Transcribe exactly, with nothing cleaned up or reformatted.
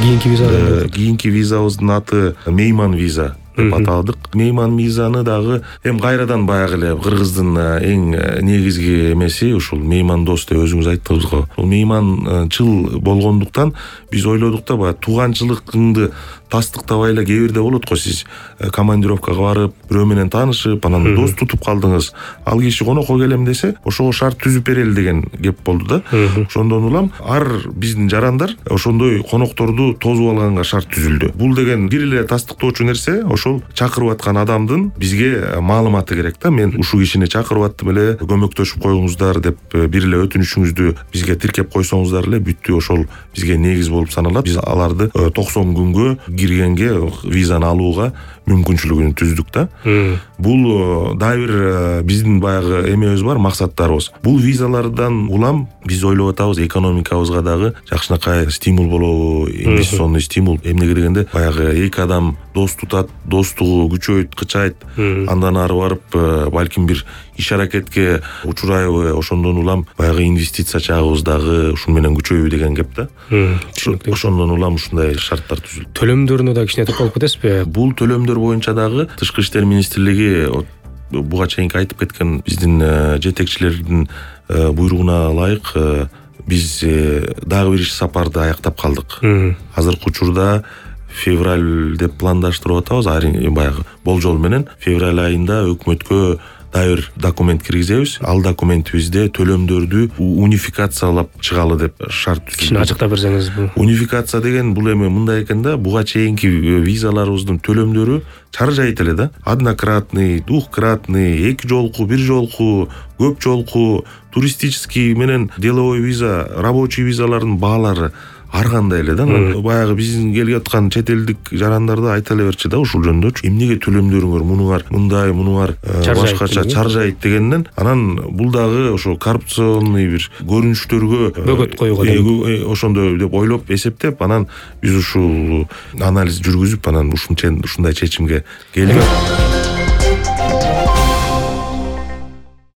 кийинки виза кийинки визабыздын аты мейман виза деп атадык. Мейман визаны дагы эми кайрадан баягы эле кыргыздын эң негизги эмеси ушул мейман дос деп өзүңүз айттыңыз го. Бул мейманчыл болгондуктан биз ойлодук да баягы тууганчылыгыңды тастыктабай эле кээ бирде болот го, сиз командировкага барып, бирөө менен таанышып, анан дос тутуп калдыңыз. Ал киши конокко келем десе, ошого шарт түзүп берели деген кеп болду да. Ошондон улам ар биздин жарандар ошондой конокторду тосуп алганга шарт түзүлдү. Бул деген бир эле тастыктоочу нерсе, ошол чакырып аткан адамдын бизге маалыматы керек да. Мен ушул кишини чакырып аттым эле, көмөктөшүп коюңуздар деп бир эле өтүнүшүңүздү бизге тиркеп койсоңуздар эле бүттү. Ошол бизге негиз болуп саналат. Биз аларды токсон күнгө киргенге визаны алууга мүмкүнчүлүгүн түздүк да. Бул дагы бир биздин баягы эмебиз бар, максаттарыбыз. Бул визалардан улам биз ойлоп атабыз, экономикабызга дагы жакшынакай стимул болобу, инвестиционный стимул. Эмнеге дегенде, баягы эки адам дос тутат, достугу күчөйт, кычайт, андан ары барып балким бир иш аракетке учурайбы, ошондон улам баягы инвестиция чагыбыз дагы ушун менен күчөйбү деген кеп да. Ошондон улам ушундай шарттар түзүлдү. Төлөмдөрүнө да кичине токтолуп кетесизби? Бул төлөмдөр боюнча дагы Тышкы иштер министрлиги буга чейинки айтып кеткен биздин жетекчилердин буйругуна ылайык биз дагы бир иш сапарды аяктап калдык. Азыркы учурда февраль деп пландаштырып атабыз, баягы болжол менен февраль айында өкмөткө дагы бир документ киргизебиз. Ал документибизде төлөмдөрдү унификациялап чыгалы деп шарт түзүлдү. Кичине ачыктап берсеңиз бул. Унификация деген бул эми мындай экен да, буга чейинки визаларыбыздын төлөмдөрү чаржайт эле да. Однократный, двухкратный, эки жолку, бир жолку, көп жолку, туристический менен деловой виза, рабочий визалардын баалары ар кандай эле да. Баягы биздин келип аткан чет элдик жарандарды айта эле берчи да ушул жөндөчү. Эмнеге төлөмдөрүңөр мунуңар мындай, мунуңар башкача чаржайт дегенден, анан бул дагы ошо коррупционный бир көрүнүштөргө бөгөт коюуга ошондой деп ойлоп, эсептеп, анан биз ушул анализ жүргүзүп, анан ушундай чечимге келдик.